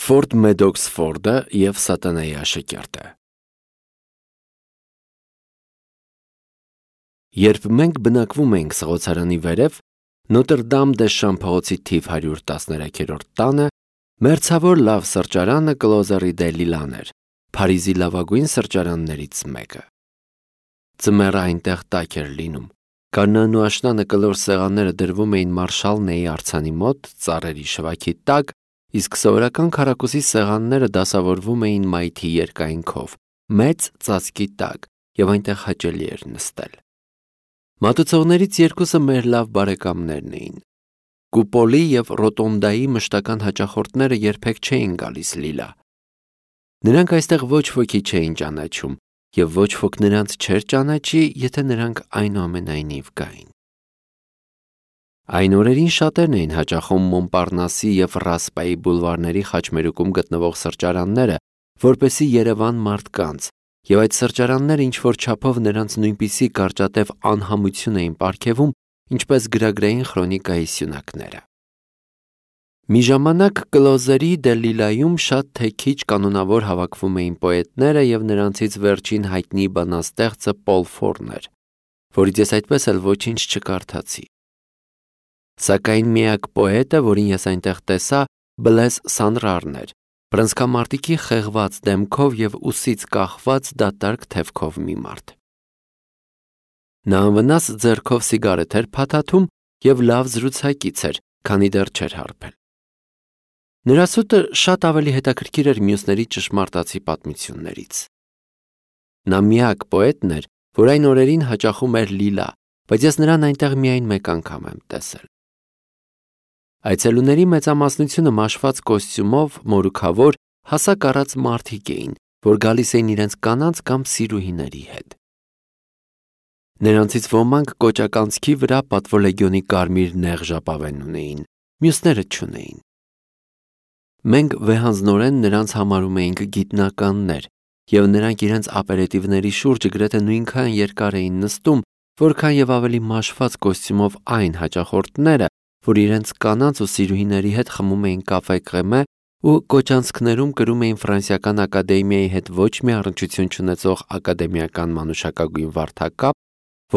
Ֆորդ Մեդոքս Ֆորդը և Սատանայի աշակերտը։ Երբ մենք բնակվում էինք Սղոցարանի վերև, Նոտր Դամ դե Շամփողոցի թիվ 113-րդ տանը, մերձավոր լավ սրճարանը Կլոզերի դե Լիլան էր, Փարիզի լավագույն սրճարաններից մեկը։ Ձմեռը այնտեղ տաք էր լինում։ Կանանն ու աշնանը կլոր սեղանները դրվում էին Մարշալնեի արձանի մոտ, ծառերի շվաքի տակ, իսկ սովորական քառակուսի սեղանները դասավորվում էին մայթի երկայնքով, մեծ ծածկի տակ, և այնտեղ հաճելի էր նստել։ Մատուցողներից երկուսը մեր լավ բարեկամներն էին։ Կուպոլի և Ռոտոնդայի մշտական հաճախորդները երբեք չէին գալիս Լիլա։ Նրանք այստեղ ոչ ոքի չէին ճանաչում, և ոչ ոք նրանց չէր ճանաչի, եթե նրանք այնուամենայնիվ գային։ Այն օրերին շատերն էին հաճախում Մոնպարնասի և Ռասպայի բուլվարների խաչմերուկում գտնվող սրճարանները, որպեսզի Երևան մարդկանց, և այդ սրճարանները ինչ-որ չափով նրանց նույնպիսի կարճատև անհամություն էին պարգևում, ինչպես գրագրային խրոնիկայի սյունակները։ Մի ժամանակ Կլոզերի դե Լիլայում շատ թե քիչ կանոնավոր հավաքվում էին պոետները, և նրանցից վերջին հայտնի բանաստեղծը Պոլ Ֆորն էր, որից ես այդպես էլ ոչինչ չկարդացի։ Սակայն միակ պոետը, որին ես այնտեղ տեսա, Բլեզ Սանրարն էր, բռնցքամարտիկի խեղված դեմքով և ուսից կախված դատարկ թևքով մի մարդ։ Նա անվնաս ձեռքով սիգարետ էր փաթաթում և լավ զրուցակից էր, քանի դեռ չէր հարբել։ Նրա սուտը շատ ավելի հետաքրքիր էր մյուսների ճշմարտացի պատմություններից։ Նա միակ պոետն էր, որ այն օրերին հաճախում էր Լիլա, բայց ես նրան այնտեղ միայն մեկ անգամ եմ տեսել։ Այցելուների մեծամասնությունը մաշված կոստյումով, մորուքավոր, հասակ առած մարդիկ էին, որ գալիս էին իրենց կանանց կամ սիրուհիների հետ։ Նրանցից ոմանք կոճականցքի վրա պատվոլեգիոնի կարմիր նեղ ժապավեն ունեին, մյուսները չունեին։ Մենք վեհանձնորեն նրանց համարում էինք գիտնականներ, և նրանք իրենց ապերետիվների շուրջը գրեթե նույնքան երկար էին նստում, որքան և ավելի մաշված կոստյումով այն հաճախորդները, որ իրենց կանանց ու սիրուհիների հետ խմում էին կաֆե Կրեմե ու կոճանցքներում կրում էին Ֆրանսիական ակադեմիայի հետ ոչ մի առնչություն չունեցող ակադեմիական մանուշակագույն վարդակապ,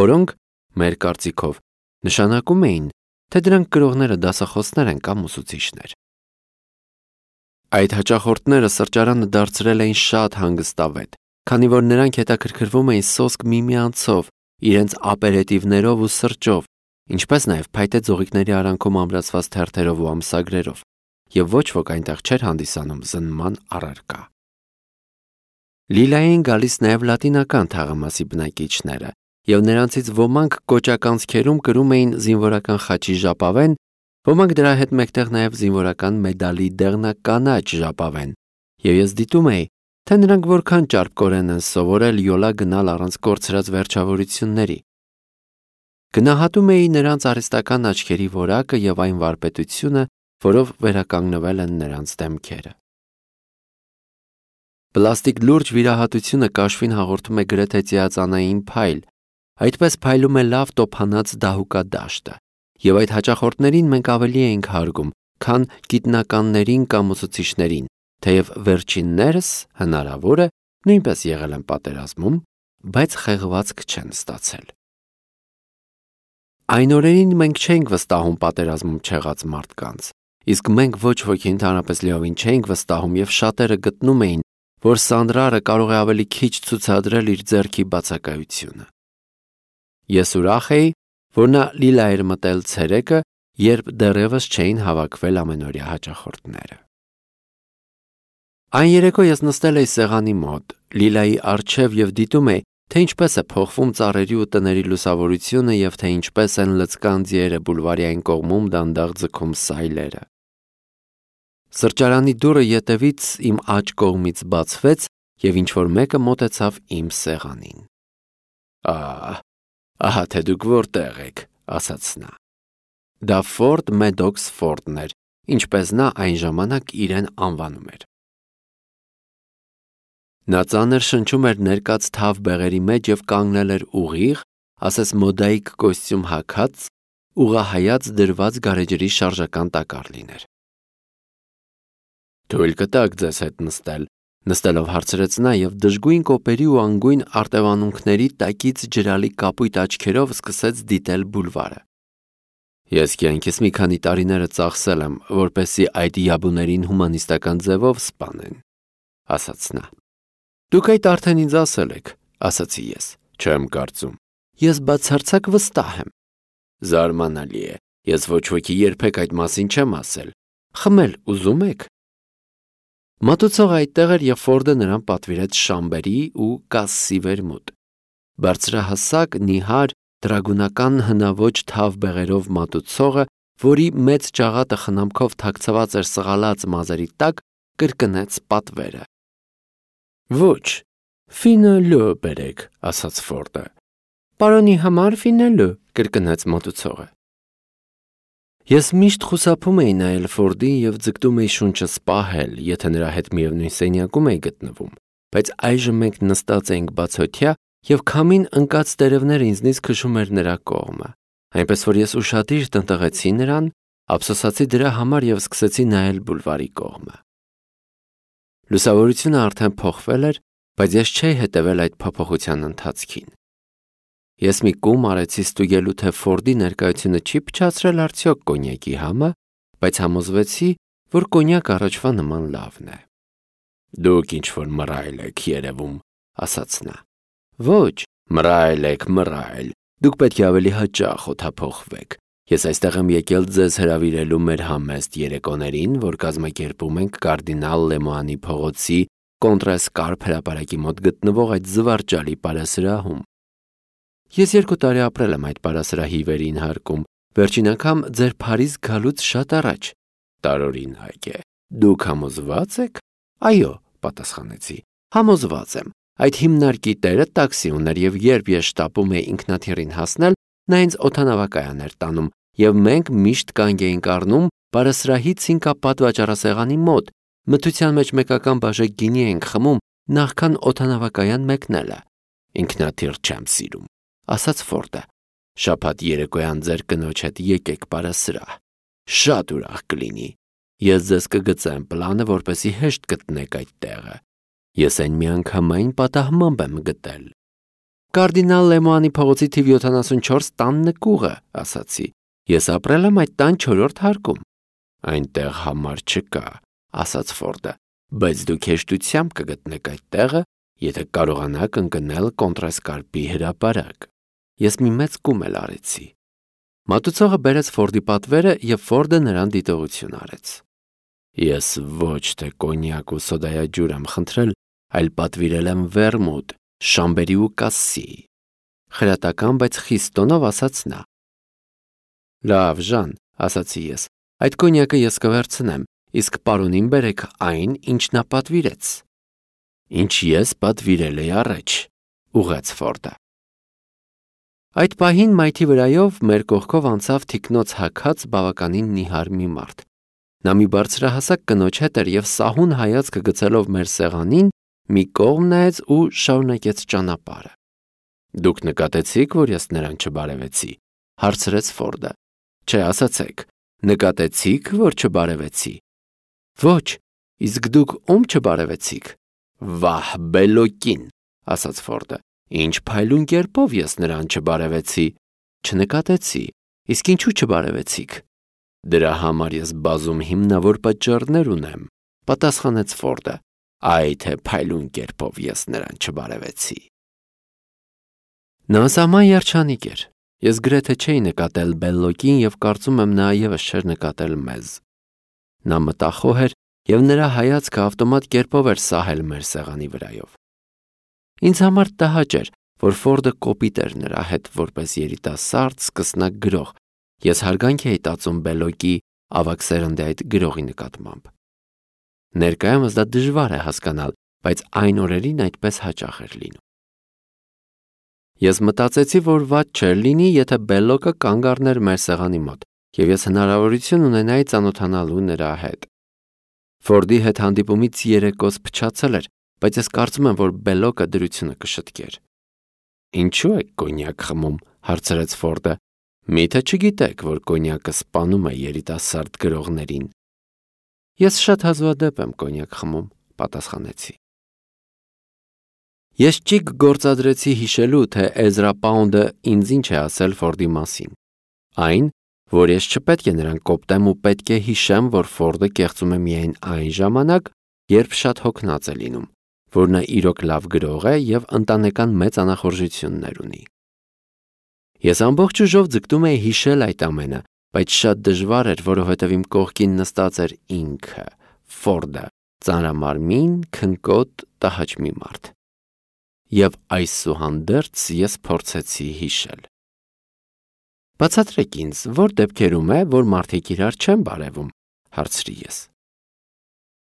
որոնք, մեր կարծիքով, նշանակում էին, թե դրանք կրողները դասախոսներ են կամ ուսուցիչներ։ Այդ հաճախորդները սրճարանը դարձրել էին շատ հանգստավետ, քանի որ նրանք հետաքրքրվում էին սոսկ միմյանցով, իրենց ապերետիվներով ու սրճով, ինչպես նաև փայտե ձողիկների արանքում ամրացված թերթերով ու ամսագրերով, և ոչ ոք այնտեղ չէր հանդիսանում զննման առարկա։ Լիլային գալիս նաև լատինական թաղամասի բնակիչները, և նրանցից ոմանք կոճականցքերում կրում էին զինվորական խաչի ժապավեն, ոմանք դրա հետ մեկտեղ նաև զինվորական մեդալի դեղնականաչ ժապավեն, և ես դիտում էի, թե նրանք որքան ճարպկորեն են սովորել յոլա գնալ առանց կորցրած վերջավորությունների։ Գնահատում էի նրանց արհեստական աչքերի որակը և այն վարպետությունը, որով վերականգնվել են նրանց դեմքերը։ Պլաստիկ լուրջ վիրահատությունը կաշվին հաղորդում է գրեթե ծիածանային փայլ, այդպես փայլում է լավ տոփանած դահուկադաշտը, և այդ հաճախորդներին մենք ավելի էինք հարգում, քան գիտնականներին կամ ուսուցիչներին, թեև վերջիններս, հնարավոր է, նույնպես եղել են պատերազմում, բայց խեղվածք չեն ստացել։ Այն օրերին մենք չէինք վստահում պատերազմում չեղած մարդկանց, իսկ մենք ոչ ոքի ընդհանրապես լիովին չէինք վստահում, և շատերը գտնում էին, որ Սանդրարը կարող է ավելի քիչ ցուցադրել իր ձեռքի բացակայությունը։ Ես ուրախ էի, որ նա Լիլա էր մտել ցերեկը, երբ դեռևս չէին հավաքվել ամենօրյա հաճախորդները։ Այն երեկո ես նստել էի սեղանի մոտ, Լիլայի առջև և դիտում էի, թե ինչպես է փոխվում ծառերի ու տների լուսավորությունը և թե ինչպես են լցկան ձիերը բուլվարի այն կողմում դանդաղ ձգում սայլերը։ Սրճարանի դուռը ետևից իմ աջ կողմից բացվեց, և ինչ-որ մեկը մոտեցավ իմ սեղանին։ Ահա թե դուք որտեղ եք, ասաց նա։ Դա Ֆորդ Մեդոքս Ֆորդն էր, ինչպես նա այն ժամանակ իրեն անվանում էր։ Նա ծանր շնչում էր ներկած թավ բեղերի մեջ և կանգնել էր ուղիղ, ասես մոդայիկ կոստյում հագած, ուղղահայաց դրված գարեջրի շարժական տակառ լիներ։ Թույլ կտաք ձեզ հետ նստել, նստելով հարցրեց նա եւ դժգույն կոպերի ու անգույն արտևանունքների տակից ջրալի կապույտ աչքերով սկսեց դիտել բուլվարը։ Ես կյանքիս մի քանի տարիները ծախսել եմ, որպեսզի այդ յաբուներին հումանիստական ձևով սպանեն, ասաց նա։ Դուք այդ արդեն ինձ ասել եք, ասացի ես։ Չեմ կարծում։ Ես բացարձակ վստահ եմ։ Զարմանալի է, ես ոչ ոքի երբեք այդ մասին չեմ ասել։ Խմել ուզում եք։ Մատուցողը այդտեղ էր եւ Ֆորդը նրան պատվիրեց շամբերի ու կասսի վերմուտ։ Բարձրահասակ, նիհար, դրագունական հնաոճ թավ բեղերով մատուցողը, որի մեծ ճաղատը խնամքով թաքցված էր սղալած մազերի տակ, կրկնեց պատվերը։ Ոչ, ֆինալո բերեք, ասաց Ֆորդը։ Պարոնի համար ֆինալո, կրկնեց մատուցողը։ Ես միշտ խուսափում էի նայել Ֆորդին եւ ձգտում էի շունչս պահել, եթե նրա հետ միևնույն սենյակում էի գտնվում, բայց այժմ մենք նստած էինք բացօթյա եւ քամին ընկած տերևները ինձնից քշում էր նրա կողմը, այնպես որ ես ուշադիր տնտղեցի նրան, ափսոսացի դրա համար եւ սկսեցի նայել բուլվարի կողմը։ Լուսավորությունը արդեն փոխվել էր, բայց ես չէի հետևել այդ փոփոխության ընթացքին։ Ես մի կում արեցի ստուգելու, թե Ֆորդի ներկայությունը չի փչացրել արդյոք կոնյակի համը, բայց համոզվեցի, որ կոնյակ առաջվա նման լավն է։ Դուք ինչ-որ մռայլ եք երևում, ասաց նա։ Ոչ, մռայլ, դուք պետք է ավելի հաճախ օդափոխվեք։ Ես այստեղ եմ եկել ձեզ հրավիրելու մեր համեստ երեկոներին, որ կազմակերպում ենք կարդինալ Լեմոանի փողոցի Կոնտրես Կարփ հրապարակի մոտ գտնվող այդ զվարճալի պարասրահում։ Ես 2 տարի ապրել եմ այդ պարասրահի վերին հարկում, վերջին անգամ ձեր Փարիզ գալուց շատ առաջ։ Տարօրինակ է։ Դուք համոզված եք։ Այո, պատասխանեցի։ Համոզված եմ։ Այդ հիմնարկի տերը տաքսի ուներ եւ երբ ես շտապում էի ինքնաթիռին հասնել, նա ինձ օդանավակայան էր տանում եւ մենք միշտ կանգ էինք առնում պարասրահի ցինկապատ վաճառասեղանի մոտ, մթության մեջ մեկական բաժակ գինի էինք խմում նախքան օդանավակայան մեկնելը։ Ինքնաթիռ չեմ սիրում, ասաց Ֆորդը։ Շաբաթ երեկոյան ձեր կնոջ հետ եկեք պարասրահ։ Շատ ուրախ կլինի։ Ես ձեզ կգծեմ պլանը, որպեսզի հեշտ գտնեք այդ տեղը։ Ես այն միանգամայն պատահմամբ եմ գտել։ Կարդինալ Լեմոանի փողոցի թիվ 74 տան նկուղը, ասացի։ Ես ապրել եմ այդ տան 4-րդ հարկում։ Այնտեղ համար չկա, ասաց Ֆորդը, բայց դուք հեշտությամբ կգտնեք այդ տեղը, եթե կարողանաք ընկնել Կոնտրես Կարպի հրապարակ։ Ես մի մեծ կում էլ արեցի։ Մատուցողը բերեց Ֆորդի պատվերը եւ Ֆորդը նրան դիտողություն արեց։ Ես ոչ թե կոնյակ ու սոդայաջուր եմ խնդրել, այլ պատվիրել եմ վերմուտ, շամբերի ու կասսի։ Խրատական, բայց խիստ տոնով ասաց նա։ Լավ, Ժան, ասացի ես, այդ կոնյակը ես կվերցնեմ, իսկ պարոնին բերեք այն, ինչ նա պատվիրեց։ Ինչ ես պատվիրել էի առաջ, ուղղեց Ֆորդը։ Այդ պահին մայթի վրայով մեր կողքով անցավ թիկնոց հագած բավականին նիհար մի մարդ։ Նա մի բարձրահասակ կնոջ հետ էր եւ սահուն հայացքը գցելով մեր սեղանին, մի կողմ նայեց ու շարունակեց ճանապարհը։ Դուք նկատեցիք, որ ես նրան չբարևեցի, հարցրեց Ֆորդը։ Չէ, ասացեք, նկատեցիք, որ չբարևեցի։ Ոչ, իսկ դուք ում չբարևեցիք։ Վահ, բելոկին, ասաց Ֆորդը։ Ինչ փայլուն կերպով ես նրան չբարևեցի։ Չնկատեցի, իսկ ինչու չբարևեցիք։ Դրա համար ես բազում հիմնավոր պատճառներ ունեմ, պատասխանեց Ֆորդը։ Այ թե փայլուն կերպով ես նրան չբարևեցի։ Նա սահման երջանիկ էր։ Ես գրեթե չէի նկատել Բելլոկին եւ կարծում եմ նա եւս չէր նկատել մեզ։ Նա մտախոհ էր եւ նրա հայացքը ավտոմատ կերպով էր սահել մեր սեղանի վրայով։ Ինձ համար տհաճ էր, որ Ֆորդը կոպիտ էր նրա հետ որպես երիտասարդ սկսնակ գրող։ Ես հարգանք էի տածում Բելլոկի ավագ սերնդի այդ գրողի նկատմամբ։ Ներկայումս դա դժվար է հասկանալ, բայց այն օրերին այդպես հաճախ էր լինում։ Ես մտածեցի, որ վատ չէր լինի, եթե Բելլոկը կանգ առներ մեր սեղանի մոտ, եւ ես հնարավորություն ունենայի ծանոթանալու նրա հետ։ Ֆորդի հետ հանդիպումից երեկոս փչացել էր, բայց ես կարծում եմ, որ Բելլոկը դրությունը կշտկեր։ Ինչու եք կոնյակ խմում, հարցրեց Ֆորդը։ Միթե չգիտեք, որ կոնյակը սպանում է երիտասարդ գրողներին։ Ես շատ հազվադեպ եմ կոնյակ խմում, պատասխանեցի։ Ես ճիգ գործադրեցի հիշելու, թե Էզրա Պաունդը ինձ ինչ է ասել Ֆորդի մասին։ Այն, որ ես չպետք է նրան կոպտեմ ու պետք է հիշեմ, որ Ֆորդը կեղծում է միայն այն ժամանակ, երբ շատ հոգնած է լինում, որ նա իրոք լավ գրող է և ընտանեկան մեծ անախորժություններ ունի։ Ես ամբողջ ուժով ձգտում էի հիշել այդ ամենը, բայց շատ դժվար էր, որովհետև իմ կողքին նստած էր ինքը, Ֆորդը, ծանրամարմին, քնկոտ, տհաճ մի մարդ։ Եվ այսուհանդերձ ես փորձեցի հիշել։ Բացատրեք ինձ, որ դեպքերում է, որ մարդիկ իրար չեն բարևում, հարցրի ես։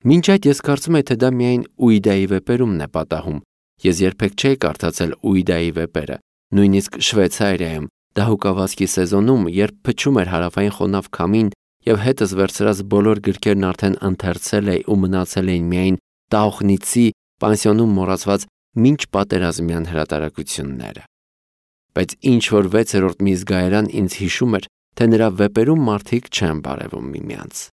Մինչ այդ ես կարծում եմ, թե դա միայն Ուիդայի վեպերումն է պատահում։ Ես երբեք չէի կարդացել Ուիդայի վեպերը, նույնիսկ Շվեյցարիայում, դահուկավազքի սեզոնում, երբ փչում էր հարավային խոնավ քամին և հետս վերցրած բոլոր գրքերն արդեն ընթերցել էի ու մնացել էին միայն Տաուխնիցի պանսիոնում մոռացված մինչ պատերազմյան հրատարակությունները։ Բայց ինչ-որ 6-րդ մի զգայարան ինձ հիշում էր, թե նրա վեպերում մարդիկ չեն բարևում միմյանց։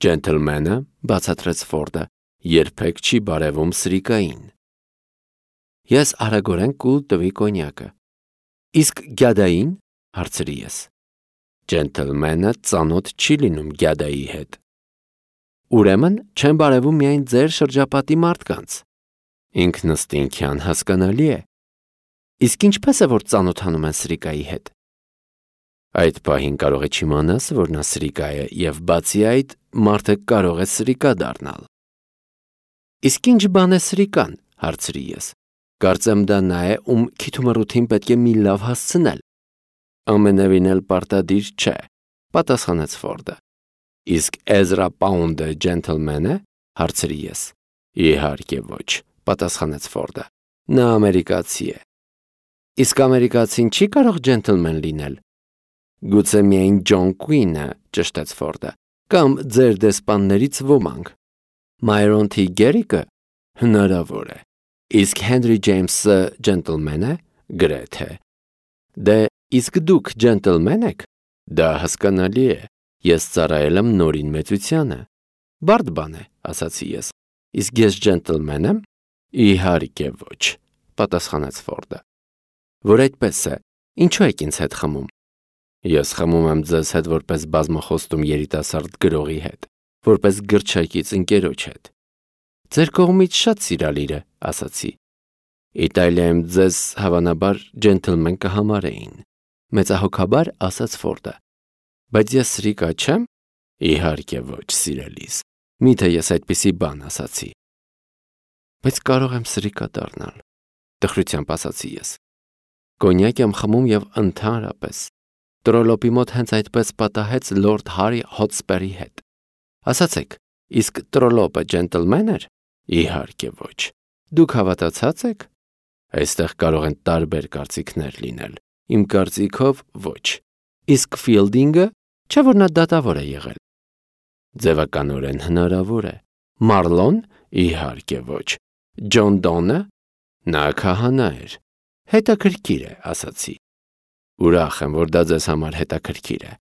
Ջենթլմենը, բացատրեց Ֆորդը, երբեք չի բարևում սրիկային։ Ես արագորեն կուլ տվի կոնյակը։ Իսկ գյադային, հարցրի ես։ Ջենթլմենը ծանոթ չի լինում գյադայի հետ։ Ուրեմն չեն բարևում միայն ձեր շրջապատի մարդկանց։ Ինքնըստինքյան հասկանալի է։ Իսկ ինչպես է, որ ծանոթանում են սրիկայի հետ։ Այդ պահին կարող է չիմանաս, որ նա սրիկա է, և բացի այդ, մարդը կարող է սրիկա դառնալ։ Իսկ ինչ բան է սրիկան, հարցրի ես։ Կարծեմ դա նա է, ում քիթումռութին պետք է մի լավ հասցնել։ Ամենևին էլ պարտադիր չէ, պատասխանեց Ֆորդը։ Իսկ Էզրա Պաունդը ջենթլմեն է, հարցրի ես։ Իհարկե ոչ, պատասխանեց Ֆորդը։ Նա ամերիկացի է։ Իսկ ամերիկացին չի կարող ջենթլմեն լինել։ Գուցե միայն Ջոն Քուինը, ճշտեց Ֆորդը, կամ ձեր դեսպաններից ոմանք։ Մայրոն Թի Գերիկը հնարավոր է։ Իսկ Հենրի Ջեյմսը ջենթլմեն է, գրեթե։ Դե իսկ դուք ջենթլմեն եք։ Դա հասկանալի է։ Ես ծառայել եմ նորին մեծությանը։ Բարդ բան է, ասացի ես։ Իսկ ես ջենթլմեն եմ։ Իհարկե ոչ, պատասխանեց Ֆորդը։ Որ այդպես է, ինչու եք ինձ հետ խմում։ Ես խմում եմ ձեզ հետ որպես բազմախոստում երիտասարդ գրողի հետ, որպես գրչակից ընկերոջ հետ։ Ձեր կողմից շատ սիրալիր է, ասացի։ Իտալիայում ձեզ հավանաբար ջենթլմեն կհամարեին, մեծահոգաբար ասաց Ֆորդը։ Բայց ես սրիկա չեմ։ Իհարկե ոչ, սիրելիս։ Միթե ես այդպիսի բան ասացի։ Բայց կարող եմ սրիկա դառնալ, տխրությամբ ասացի ես։ Կոնյակ եմ խմում և ընդհանրապես Տրոլոպի մոտ հենց այդպես պատահեց լորդ Հարի Հոտսպերի հետ։ Ասացեք, իսկ Տրոլոպը ջենթլմեն էր։ Իհարկե ոչ։ Դուք հավատացած եք։ Այստեղ կարող են տարբեր կարծիքներ լինել։ Իմ կարծիքով ոչ։ Իսկ Ֆիլդինգը, չէ՞ որ նա դատավոր է եղել։ Ձևականորեն հնարավոր է։ Մարլոն, իհարկե ոչ։ Ջոն Դոնը, նա քահանա էր։ Հետաքրքիր է, ասացի։ Ուրախ եմ, որ դա ձեզ համար հետաքրքիր է,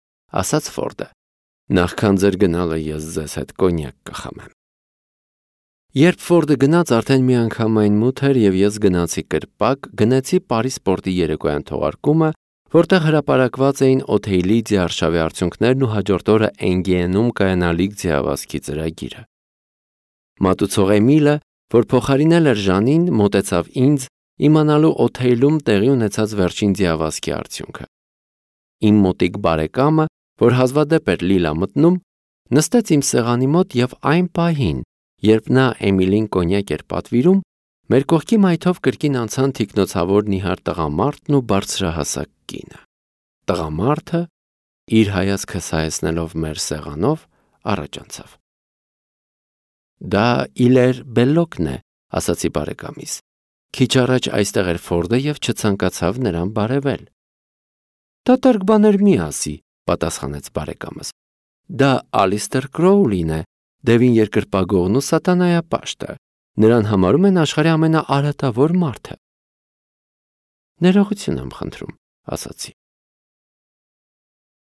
ասաց Ֆորդը։ Նախքան ձեր գնալը ես ձեզ հետ կոնյակ կխմեմ։ Երբ Ֆորդը գնաց, արդեն միանգամայն մութ էր և ես գնացի կրպակ, գնացի Պարի սպորտի երեկոյան թողարկումը, որտեղ հրապարակված էին Օթեյլի ձիարշավի արդյունքներն ու հաջորդ օրը Էնգիենում կայանալիք ձիավազքի ծրագիրը։ Մատուցող Էմիլը, որ փոխարինել էր Ժանին, մոտեցավ ինձ, իմանալու Օթեյլում տեղի ունեցած վերջին ձիավազքի արդյունքը։ Իմ մոտիկ բարեկամը, որ հազվադեպ էր լիլա մտնում, նստեց իմ սեղանի մոտ և այն պահին, երբ նա Էմիլին կոնյակ էր պատվիրում, մեր կողքի մայթով կրկին անցան թիկնոցավոր նիհար տղամարդն ու բարձրահասակ կինը։ Տղամարդը, իր հայացքը սայեցնելով մեր սեղանով, առաջ անցավ։ Դա Իլեր Բելլոկն է, ասացի բարեկամիս։ Քիչ առաջ այստեղ էր Ֆորդը և չցանկացավ նրան բարևել։ Դատարկ բաներ մի ասի, պատասխանեց բարեկամս։ Դա Ալիստեր Քրոուլին է, Դևին երկրպագողն ու սատանայապաշտը։ Նրան համարում են աշխարհի ամենաարատավոր մարդը։ Ներողություն եմ խնդրում, ասացի։